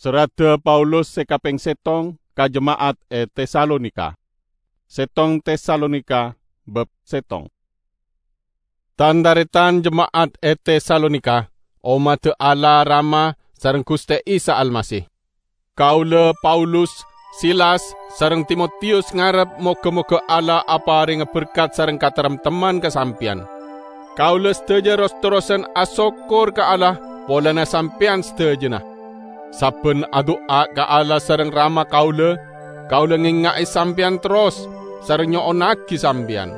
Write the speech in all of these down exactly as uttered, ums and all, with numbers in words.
Serradda Paulus se kapeng settong ka jema'at e Tesalonika. Settong Tesalonika, bab settong. Tan-taretan jema'at e Tesalonika, ommadda Allah Rama sareng Guste Isa Almasih. Kaula, Paulus, Silas, sareng Timotius ngarep moga-moga Allah aparenga berkat sareng kataremtemman ka sampeyan. Kaula sadaja ros-terrosan asokkor ka Allah polana sampeyan sadajana. Sabban adu'a ka Allah sareng Rama kaula, kaula ngenga'e sampeyan terros sareng nyo'onnagi sampeyan.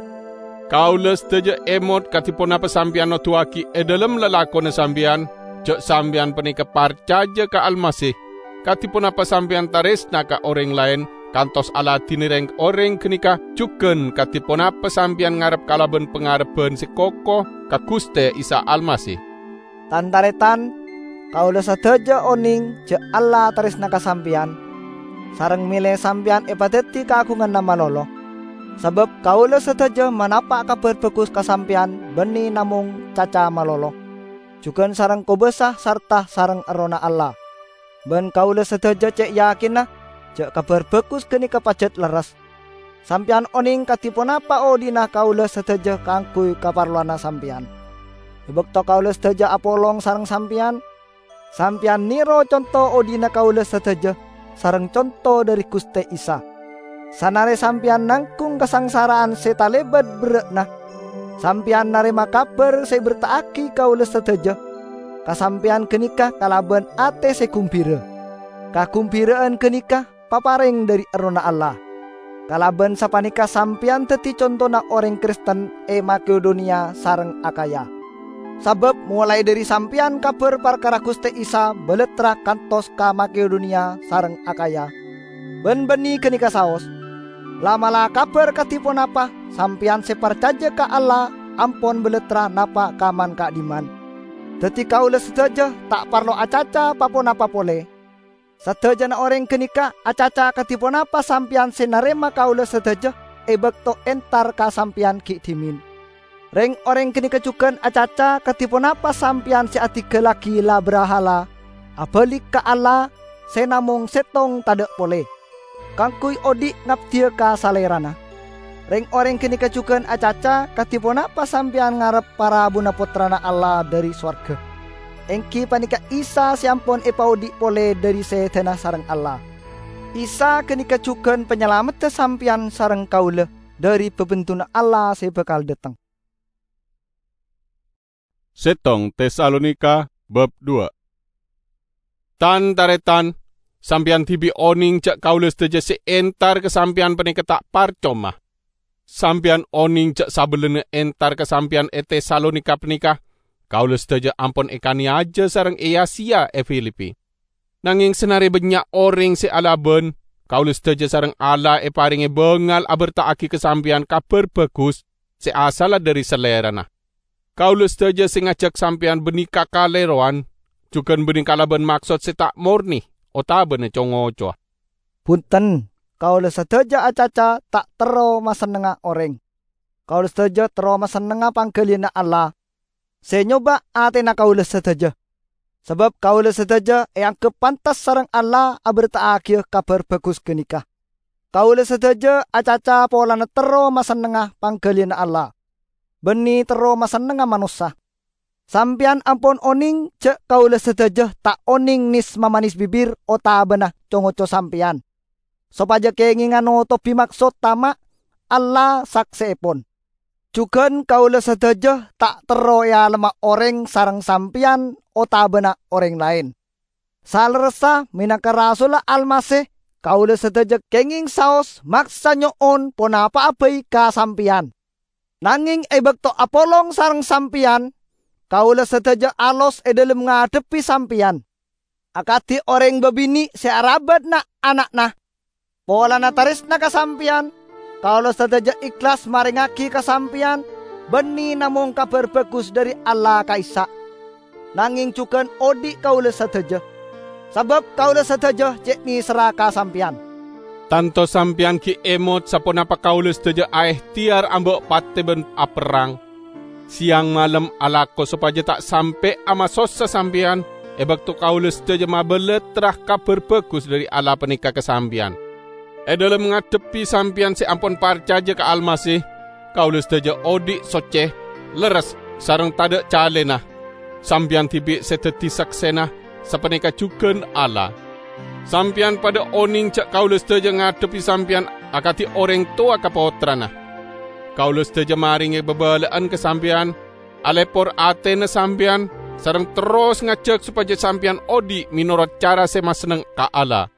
Kaula sadaja emot kadi ponapa sampeyan noduwagi e dhalem lalakonna sampeyan, ja' sampeyan paneka parcaja ka Almasih, kadi ponapa sampeyan taresna ka oreng laen, kantos aladine reng-oreng ganeka, jugan kadi ponapa sampeyan ngarep kalaban pangarebban se koko ka Guste Isa Almasih. Tan-taretan, kaula sadaja oneng ja' Allah taresna ka sampeyan, sareng mele sampeyan epadaddi kagunganna malolo. Sabab kaula sadaja manapa' Kabar Bagus ka sampeyan banne namong caca malolo, jugan sareng kobasa sarta sareng Errohna Allah. Ban kaula sadaja ce' yakinna ja' Kabar Bagus ganeka pajat lerres. Sampeyan oneng kadi ponapa odhi'na kaula sadaja kaangguy kaparlowanna sampeyan. E bakto kaula sadaja apolong sareng sampeyan, sampeyan nero conto odhi'na kaula sadaja sareng conto dhari Guste Isa. Sanare sampeyan nanggung kasangsara'an se talebat berra'na, sampeyan narema kabar se eberta'agi kaula sadaja ka sampeyan ganeka kalaban ate se gumbira. Kagumbira'an ganeka papareng dhari Errohna Allah. Kalaban sapaneka sampeyan daddi contona oreng Kristen e Makedoniya sareng Akhaya. Sabab molae dhari sampeyan kabar parkara Guste Isa balattra kantos ka Makedoniya sareng Akhaya. Ban banne ganeka saos, la'-mala' kabar kadi ponapa sampeyan se parcaja ka Allah ampon balattra napa' ka man-ka'dimman. Daddi kaula sadaja ta' parlo acaca pa-ponapa pole. Sadajana oreng ganeka acaca kadi ponapa sampeyan se narema kaula sadaja e bakto entar ka sampeyan gi' dhimen. Reng-oreng ganeka jugan acaca kadi ponapa sampeyan se adinggallagi la-brahala abalik ka Allah se namong settong tadha' pole, kaangguy odhi' ngabdiya ka Salerana. Reng-oreng ganeka jugan acaca kadi ponapa sampeyan ngarep parabuna Pottrana Allah dhari sowarga, enggi paneka Isa se ampon epaodhi' pole dhari sedana sareng Allah. Isa ganeka jugan Panyalamedda sampeyan sareng kaula dhari babendunna Allah se bakal dhateng. Settong Tesalonika bab dua. Tan-taretan, sampeyan dibi' oneng ja' kaula sadaja se entar ka sampeyan paneka ta' parcoma. Sampeyan oneng ja' sabellunna entar ka sampeyan e Tesalonika paneka, kaula sadaja ampon ekaneyaja sareng eya-seya e Filipi. Nangeng sanare bannya' oreng se alaban, kaula sadaja sareng Allah eparenge bangal aberta'agi ka sampeyan Kabar Bagus se asalla dhari Salerana. Kaula sadaja se ngajak sampeyan banne kakalerowan, jugan banne kalaban maksod se ta' morne otabana co-ngocowa. Bunten, kaula sadaja acaca ta' terro masennengnga oreng. Kaula sadaja terro masennengnga panggaliyanna Allah se nyoba atena kaula sadaja. Sabab kaula sadaja eanggep pantes sareng Allah aberta'agiya Kabar Bagus ganeka. Kaula sadaja acaca polana terro masennengnga panggaliyanna Allah, banne terro masennengnga manossa. Sampeyan ampon oneng ja' kaula sadaja ta' oneng nes-mamanes bibir otabana co-ngoco sampeyan, sopaja kengenga notobi maksod tama' Allah sakseepon. Jugan kaula sadaja ta' terro ealema oreng sareng sampeyan otabana oreng laen. Salerressa menangka rasulla Almasih, kaula sadaja kengeng saos maksa nyo'on ponapa'a bai ka sampeyan. Nangeng e bakto apolong sareng sampeyan, kaula sadaja alos e dhalem ngadhebbi sampeyan, akadi oreng babine' se arabat na'-ana'na. Polana taresna ka sampeyan, kaula sadaja ehlas marengngagi ka sampeyan banne namong Kabar Bagus dhari Allah ka'issa'. Nangeng jugan odhi' kaula sadaja, sabab kaula sadaja ce' neserra ka sampeyan. Tanto sampeyan gi' emot saponapa kaula sadaja aehteyar amba' pate ban aperrang, seyang malem alako sopaja ta' sampe' amasossa sampeyan, e bakto kaula sadaja mabalattra Kabar Bagus dhari Allah paneka ka sampeyan. E dhalem ngadhebbi sampeyan se ampon parcaja ka Almasih, kaula sadaja odhi' socce, lerres, sareng tadha' calena. Sampeyan dibi' se daddi saksena, sapaneka jugan Allah. Sampeyan padha oneng ja' kaula sadaja ngadhebbi sampeyan akadi oreng towa ka pottrana. Kaula sadaja marenge babala'an ka sampeyan, alepor atena sampeyan, sareng terros ngajak sopaja sampeyan odhi' menorot cara se masenneng ka Allah.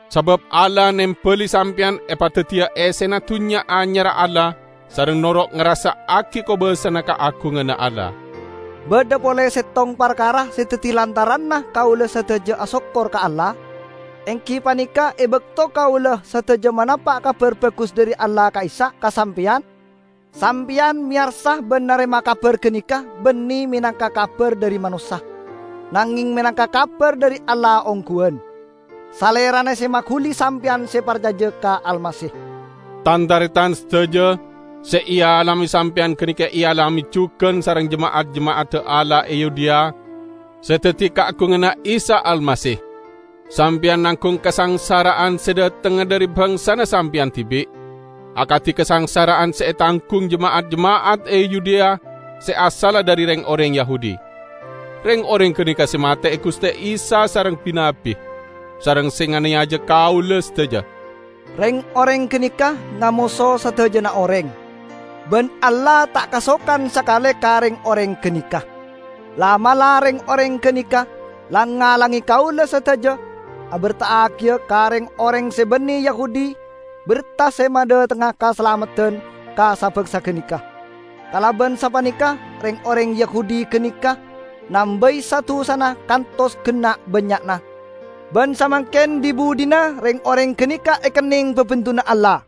Sabab Allah nembali sampeyan epadaddiya essena dunnya anyarra Allah, sareng noro' ngarassa'agi kobasana kaagunganna Allah. Badha pole settong parkara se daddi lantaranna kaula sadaja asokkor ka Allah, enggi paneka e bakto kaula sadaja manapa' Kabar Bagus dhari Allah ka'issa' ka sampeyan. Sampeyan meyarsa ban narema kabar ganeka banne menangka kabar dhari manossa, nangeng menangka kabar dhari Allah ongguwan. Salerana se maghuli sampeyan se parcaja ka Almasih. Tan-taretan sadaja, se ealame sampeyan ganeka ealame jugan sareng jema'at-jema'adda Allah e Yudea, se daddi kaagunganna Isa Almasih. Sampeyan nanggung kasangsara'an se dhatengnga dhari bangsana sampeyan dibi', akadi kasangsara'an se etanggung jema'at-jema'at e Yudea se asalla dhari reng-oreng Yahudi. Reng-oreng ganeka se mate'e Guste Isa sareng bi-nabbi, sareng se nganeyaja kaula sadaja. Reng-oreng ganeka ngamoso sadajana oreng, ban Allah ta' kasokan sakale ka reng-oreng ganeka. La'-mala' reng-oreng ganeka lang-ngalange kaula sadaja, aberta'agiya ka reng-oreng se banne Yahudi berta se madhatengnga kasalameddan ka sa-bangsa ganeka. Kalaban sapaneka, reng-oreng Yahudi ganeka nambai sa-dusana kantos genna' bannya'na. Ban samangken dhi-budhina reng-oreng ganeka ekenneng babendunna Allah.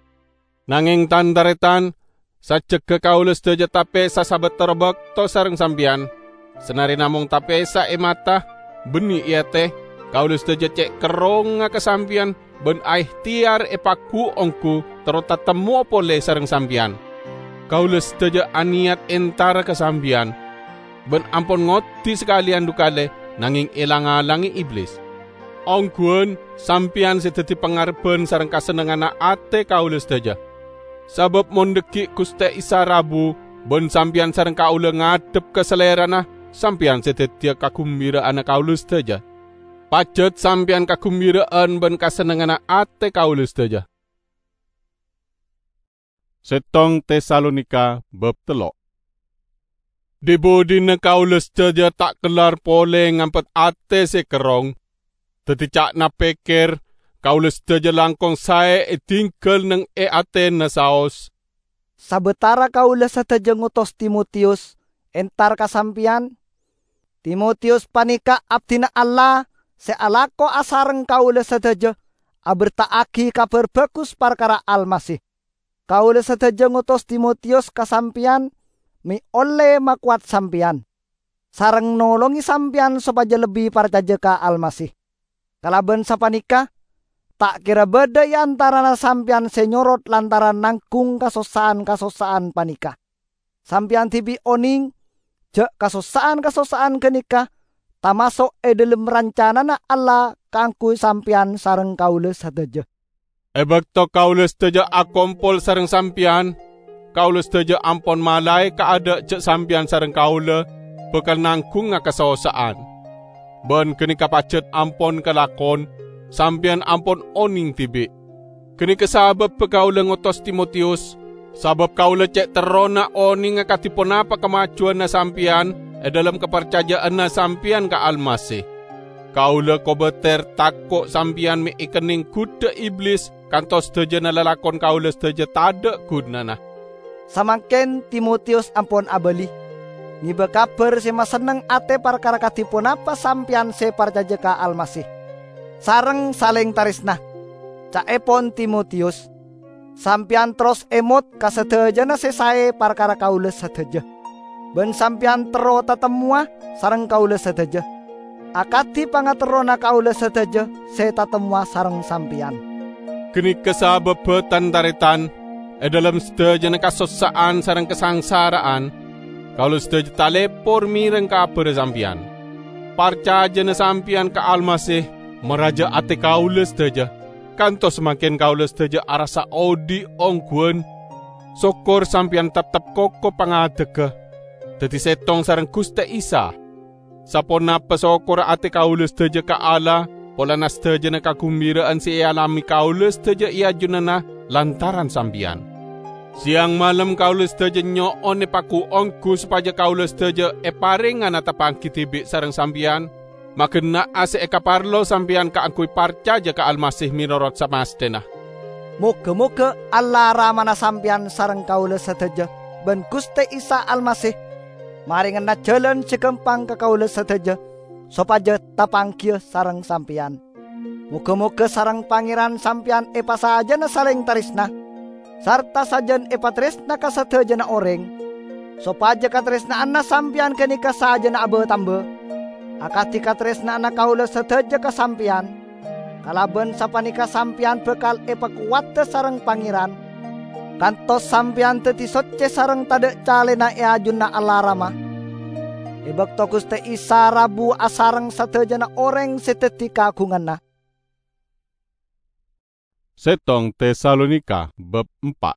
Nangeng, tan-taretan, sajjegga kaula sadaja tapesa sabatara bakto sareng sampeyan, sanare namong tapesa e mata, banne e ate, kaula sadaja ce' kerrongnga ka sampeyan ban aehteyar epaggu-onggu terro tatemmowa pole sareng sampeyan. Kaula sadaja aneyat entara ka sampeyan, ban ampon ngoddi sakaleyan dhu kale, nangeng elang-alange Iblis. Ongguwan sampeyan se daddi pangarebban sareng kasennengnganna ate kaula sadaja. Sabab mon dhaggi' Guste Isa rabu ban sampeyan sareng kaula ngadhep ka Salerana, sampeyan se daddiya kagumbira'anna kaula sadaja. Pajat sampeyan kagumbira'an ban kasennengnganna ate kaula sadaja. Settong Tesalonika bab tello'. Dhi-budhina kaula sadaja ta' kellar pole ngampet ate se kerrong. Daddi ca'na pekker, kaula sadaja langkong sae edinggal neng e atena saos. Sabatara kaula sadaja ngotos Timotiyus entar ka sampeyan. Timotiyus paneka abdina Allah se alako asareng kaula sadaja aberta'agi Kabar Bagus parkara Almasih. Kaula sadaja ngotos Timotiyus ka sampeyan me' olle makowat sampeyan, sareng nolonge sampeyan sopaja lebbi parcaja ka Almasih. Kalaban sapaneka, ta' kera badha e antarana sampeyan se nyorot lantaran nanggung kasossa'an-kasossa'an paneka. Sampeyan dibi' oneng ja' kasossa'an-kasossa'an ganeka tamaso' e dhalem rancanana Allah kaangguy sampeyan sareng kaula sadaja. E bakto kaula sadaja akompol sareng sampeyan, kaula sadaja ampon malae kaadha' ja' sampeyan sareng kaula bakal nanggunga kasossa'an. Ban ganeka pajat ampon kalakon, sampeyan ampon oneng dibi'. Ganeka sababba kaula ngotos Timotiyus, sabab kaula ce' terrona onenga kadi ponapa kamajuwanna sampeyan e dhalem kaparcaja'anna sampeyan ka Almasih. Kaula kobater tako' sampeyan me' ekenneng gudha Iblis kantos sadajana lalakon kaula sadaja tadha' gunana. Samangken Timotiyus ampon abali, ngeba kabar se masenneng ate parkara kadi ponapa sampeyan se parcaja ka Almasih, sareng saleng taresna. Ca'epon Timotiyus, sampeyan terros emot ka sadajana se sae parkara kaula sadaja, ban sampeyan terro tatemmowa sareng kaula sadaja, akadi pangaterrona kaula sadaja se tatemmowa sareng sampeyan. Ganeka sababba, tan-taretan, e dhalem sadajana kasossa'an sareng kasangsara'an, kaula sadaja talepor mereng kabarra sampeyan. parcajana sampeyan ka Almasih maraja ate kaula sadaja, kantos samangken kaula sadaja arassa odhi' ongghuwan. Sokkor sampeyan teptep koko pangadegga, daddi settong sareng Guste Isa. Saponapa sokkorra ate kaula sadaja ka Allah polana sadajana kagumbira'an se ealame kaula sadaja e ajunanna lantaran sampeyan. Seyang malem kaula sadaja nyo'on epagu-onggu sopaja kaula sadaja eparengngana tapanggi dibi' sareng sampeyan, magenna'a se ekaparlo sampeyan kaangguy parcaja ka Almasih menorot samasthena. Moga-moga Allah Ramana sampeyan sareng kaula sadaja ban Guste Isa Almasih marengana jalan se gampang ka kaula sadaja, sopaja tapanggiya sareng sampeyan. Moga-moga sareng Pangeran sampeyan epasajana saleng taresna, sarta sajan epataresna ka sadajana oreng, sopaja kataresna'anna sampeyan ganeka sajana aba-tamba, akadi kataresna'anna kaula sadaja ka sampeyan. Kalaban sapaneka sampeyan bakal epakowadda sareng Pangeran, kantos sampeyan daddi socce sareng tadha' calena e ajunanna Allah Rama, e bakto Guste Isa rabu asareng sadajana oreng se daddi kagunganna. Settong Tesalonika bab empa'.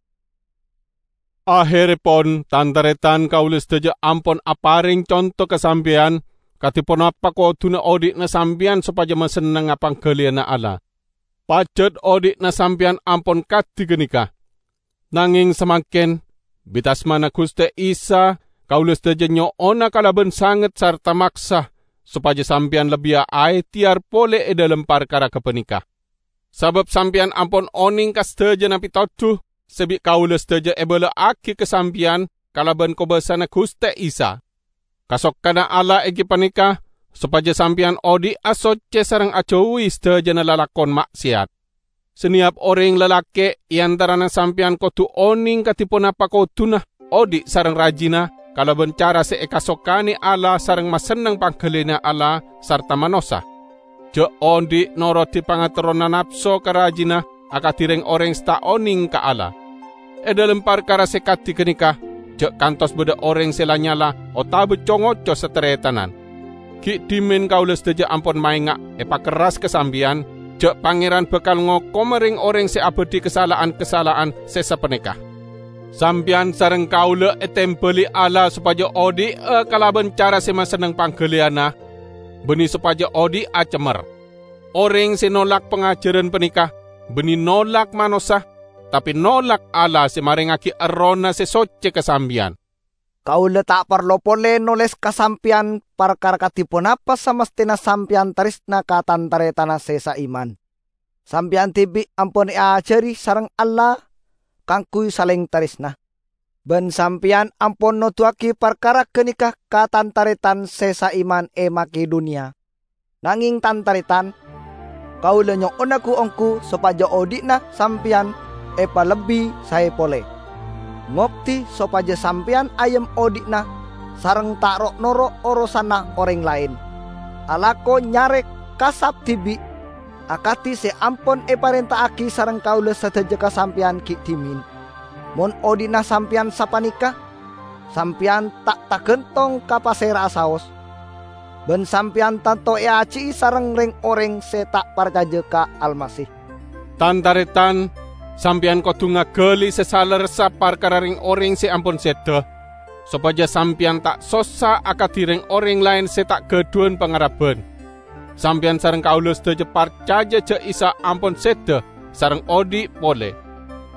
Aherrepon, tan-taretan, kaula sadaja ampon apareng conto ka sampeyan, kadi ponapa koduna odhi'na sampeyan sopaja masennengnga panggaliyana Allah. Pajat odhi'na sampeyan ampon kadi ganeka. Nangeng samangken, bi-tasmana Guste Isa, kaula sadaja nyo'ona kalaban sanget sarta maksa sopaja sampeyan lebbiya aehteyar pole e dhalem parkara gapaneka. Sabab sampeyan ampon oneng ka sadajana petodu se bi' kaula sadaja ebala'agi ka sampeyan kalaban kobasana Guste Isa. Kasokanna Allah enggi paneka sopaja sampeyan odhi'a socce sareng ajauwi sadajana lalakon ma'seyat. Saneyap oreng lalake' e antarana sampeyan kodu oneng kadi ponapa koduna odhi' sareng rajina kalaban cara se ekasokane Allah sareng masenneng panggaliyana Allah sarta manossa. Ja' odhi' norodi pangaterrona napso ka rajina akadi reng-oreng se ta' oneng ka Allah. E dhalem parkara se kadi ganeka, ja' kantos badha oreng se la-nyala otaba co-ngoco sataretanan. Gi' dhimen kaula sadaja ampon maenga' epakerras ka sampeyan, ja' Pangeran bakal ngokoma reng-oreng se abadhi kasala'an-kasala'an se sapaneka. Sampeyan sareng kaula etembali Allah sopaja odhi'a kalaban cara se masenneng panggaliyana, banne sopaja odhi'a cemmer. Oreng se nolak pangajaran paneka banne nolak manossa, tape nolak Allah se marengngagi Errohna se socce ka sampeyan. Kaula ta' parlo pole noles ka sampeyan parkara kadi ponapa samastena sampeyan taresna ka tan-taretanna se saiman. Sampeyan dibi' ampon eajari sareng Allah kaangguy saleng taresna. Ban sampeyan ampon noduwagi parkara ganeka ka tan-taretan se saiman e Makedoniya. Nangeng, tan-taretan, kaula nyo'ona gu-onggu sopaja odhi'na sampeyan epalebbi sae pole. Ngobdi sopaja sampeyan ayem odhi'na sareng ta' ro'-noro' orosanna oreng laen. Alako nyare kasap dibi', akadi se ampon eparenta'agi sareng kaula sadaja ka sampeyan gi' dhimen. Mon odhi'na sampeyan sapaneka, sampeyan ta' tagantong ka pasera'a saos, ban sampeyan tanto eaji'i sareng reng-oreng se ta' parcaja ka Almasih. Tan-taretan, sampeyan kodu ngagali se salerressa parkara reng-oreng se ampon seda, sopaja sampeyan ta' sossa akadi reng-oreng laen se ta' gadhuwan pangaraban. Sampeyan sareng kaula sadaja parcaja ja' Isa ampon seda sareng odhi' pole.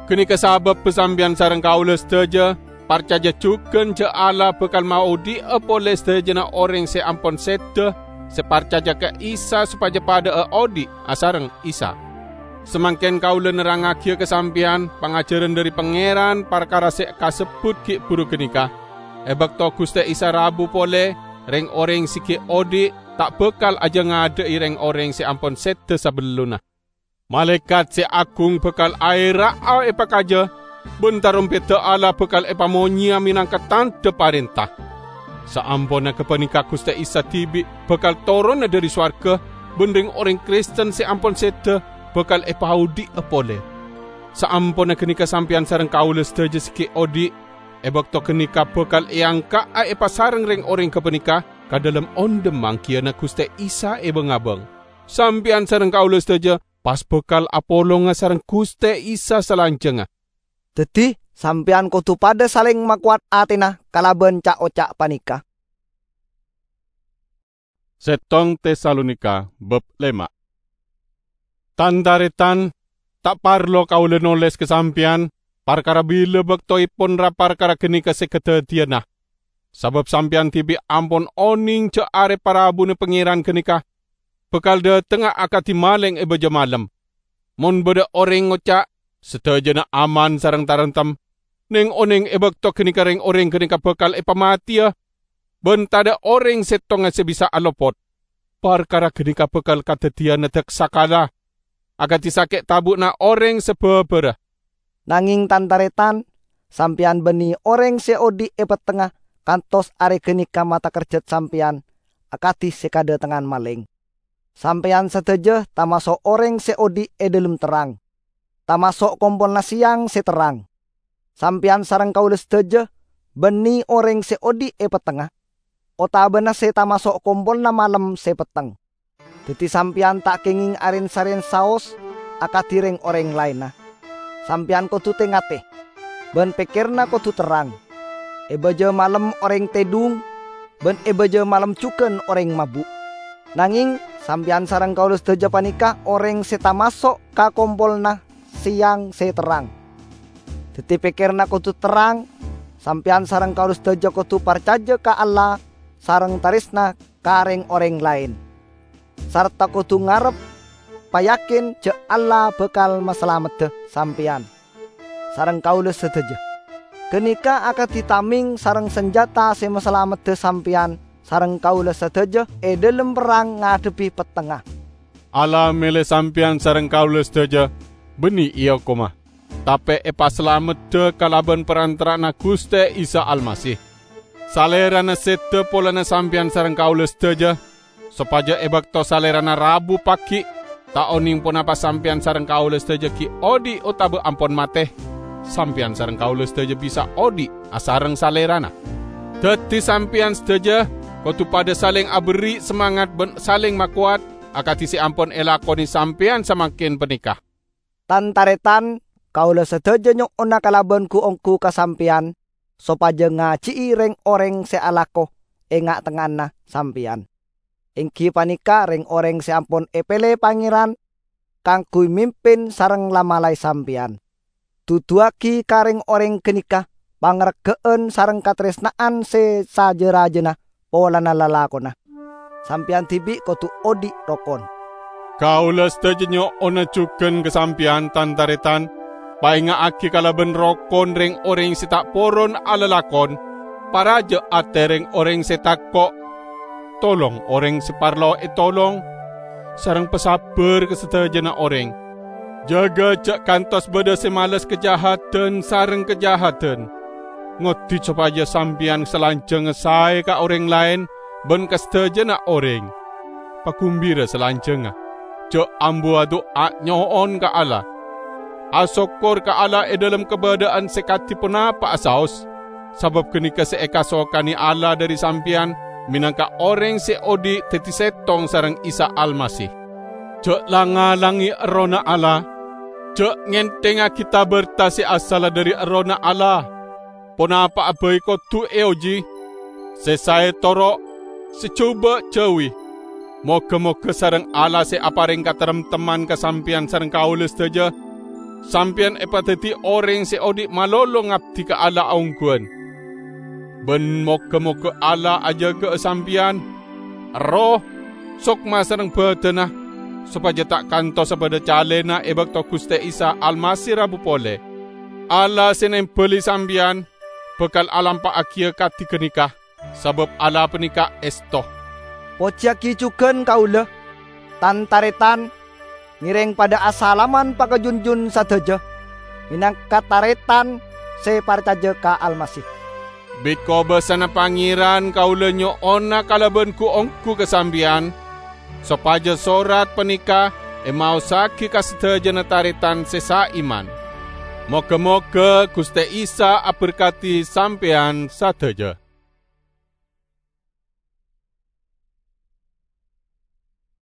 Ganeka sababba sampeyan sareng kaula sadaja parcaja jugan ja' Allah bakal maodhi'a pole sadajana oreng se ampon seda se parcaja ka Isa sopaja padha'a odhi' asareng Isa. Samangken kaula nerrangngagiya ka sampeyan pangajaran dhari Pangeran parkara se kasebbut gi' buru ganeka. E bakto Guste Isa rabu pole, reng-oreng se gi' odhi' ta' bakal ajangadha'i reng-oreng se ampon seda sabellunna. Malaekat se agung bakal aera'a epakaja, ban tarompedda Allah bakal epamonyea menangka tandha parenta. Saamponna gapaneka Guste Isa dibi' bakal torona dhari sowarga, ban reng-oreng Kristen se ampon seda bakal epaodhi'a pole. Saamponna ganeka sampeyan sareng kaula sadaja se gi' odhi' e bakto ganeka bakal eangka'a epasareng reng-oreng gapaneka, ka dhalem ondhem manggiyânna Ghustè Isa è bâng-abâng. Sampèyan sareng kaulâ sadhâjâ pas bhâkal apolonga sareng Ghustè Isa salanjhângnga. Dhâddhi, sampèyan kodhu padhâ salèng makowat atèna kalabân ca'-oca' panèka. Settong Tesalonika bab lèma'. Tan-tarètan, ta' parlo kaulâ nolès ka sampèyan parkara bilâ bâktoèpon ra-parkara ghânèka sè kadhâddhiyânna, sabâb sampèyan dhibi' ampon onèng jhâ' arè parabuna Pangèran ghânèka bhâkal dhâtengnga akadhi malèng è bâjâ malem. Mon bâdâ orèng ngoca', "Sadhâjâna aman sareng taremtem," nèng-onèng è bâkto ghânèka rèng-orèng ghânèka bhâkal èpamatèya, bân tadâ' orèng sèttonga sè bisa alopot. Parkara ghânèka bhâkal kadhâddhiyânna dâksakala, akadhi sakè' tabu'na orèng sè bhâbhârâ. Nangèng, tan-tarètan, sampèyan bânnè orèng sè odi' è pettengnga kantos arè ghânèka matakerjhât sampèyan akadhi sè kadhâtengngan malèng. Sampèyan sadhâjâ tamaso' orèng sè odi' è dhâlem terrang, tamaso' kompolanna sèyang sè terrang. Sampèyan sareng kaulâ sadhâjâ bânnè orèng sè odi' è pettengnga, otabâna sè tamaso' kompolanna malem sè petteng. Dhâddhi sampèyan ta' kèngèng arèn-sarèn saos akadhi rèng-orèng laènna. Sampèyan kodhu tè-ngatè, bân pèkkèranna kodhu terrang. È bâjâ malem orèng tèdung, bân è bâjâ malem jhughân orèng mabu'. Nangèng, sampèyan sareng kaulâ sadhâjâ panèka orèng sè tamaso' ka kompolanna sèyang sè terrang. Dhâddhi pèkkèranna kodhu terrang, sampèyan sareng kaulâ sadhâjâ kodhu parcajâ ka Allah sareng tarèsna ka rèng-orèng laèn, sarta kodhu ngarep payakin jhâ' Allah bhâkal masalameddhâ sampèyan sareng kaulâ sadhâjâ. Ghânèka akadhi tamèng sareng sanjhâta sè masalameddhâ sampèyan sareng kaulâ sadhâjâ è dhâlem perrang ngadhebbhi pettengnga. Allah mèlè sampèyan sareng kaulâ sadhâjâ bânnè èokoma, tapè èpasalameddhâ kalabân parantara'anna Ghustè Isa Almasih. Salèrana sèdhâ polana sampèyan sareng kaulâ sadhâjâ, sopajâ è bâkto Salèrana rabu paghi', ta' onèng ponapa sampèyan sareng kaulâ sadhâjâ ghi' odi' otabâ ampon matè, sampèyan sareng kaulâ sadhâjâ bisa odi' asareng Salèrana. Dhâddhi sampèyan sadhâjâ kodhu padhâ salèng aberri' samangat bân salèng makowat, akadhi sè ampon èlakonè sampèyan samangkèn panèka. Tan-tarètan, kaulâ sadhâjâ nyo'ona kalabân ghu-ongghu ka sampèyan, sopajâ ngajhi'i rèng-orèng sè alako è nga'-tengnga'anna sampèyan, èngghi panèka rèng-orèng sè ampon èpèlè Pangèran kaangghuy mimpin sareng la-malaè sampèyan. Duduwâghi ka rèng-orèng ghânèka pangarghâ'ân sareng katarèsna'an sè sajâ-rajâna polana lalakonna. Sampèyan dhibi' kodhu odi' rokon. Kaulâ sadhâjâ nyo'ona jhughân ka sampèyan, tan-tarètan, paènga'aghi kalabân rokon rèng-orèng sè ta' poron alalakon, parajâ atè rèng-orèng sè tako', tolong orèng sè parlo ètolong, sareng pasabbhâr ka sadhâjâna orèng. Jâgâ jhâ' kantos bâdâ sè males kajahadan sareng kajahadan. Ngoddi sopajâ sampèyan salanjhângnga saè ka orèng laèn bân ka sadhâjâna orèng. Pagumbira salanjhângnga. Jhâ' ambu adu'a nyo'on ka Allah. Asokkor ka Allah è dhâlem kabâdâ'ân sè kadhi ponapa'a saos, sabâb ghânèka sè èkasokanè Allah dhâri sampèyan mènangka orèng sè odi' dhâddhi sèttong sareng Isa Almasih. Jhâ' lang-ngalangè Errohna Allah. Jhâ' ngènthèngngaghi ta-bârta sè asalla dhâri Errohna Allah. Ponapa'a bhâi kodhu èojhi, sè saè toro', sè jhubâ' jhâuwi. Moghâ-moghâ sareng Allah sè aparèng kataremtemman ka sampèyan sareng kaulâ sadhâjâ, sampèyan èpadhâddhi orèng sè odi' malolo ngabdi ka Allah aongghuwân. Bân moghâ-moghâ Allah ajâgâ'â sampèyan, erroh, sokma sareng bhâdhânna, sopajâ ta' kantosa bâdâ calèna è bâkto Ghustè Isa Almasih rabu polè. Allah sè nèmbâli sampèyan bhâkal alampa'aghiyâ kadhi ghânèka, sabâb Allah panèka èsto. Pojiyâghi jhughân kaulâ, tan-tarètan, ngèrèng padâ asalaman pakajunjun sadhâjâ, mènangka tarètan sè parcajâ ka Almasih. Bi' kobâsana Pangèran kaulâ nyo'ona kalabân ghu-ongghu ka sampèyan, sopajâ sorat panèka èmaossaghi ka sadhâjâna tarètan sè saiman. Moghâ-moghâ Ghustè Isa aberkadhi sampèyan sadhâjâ.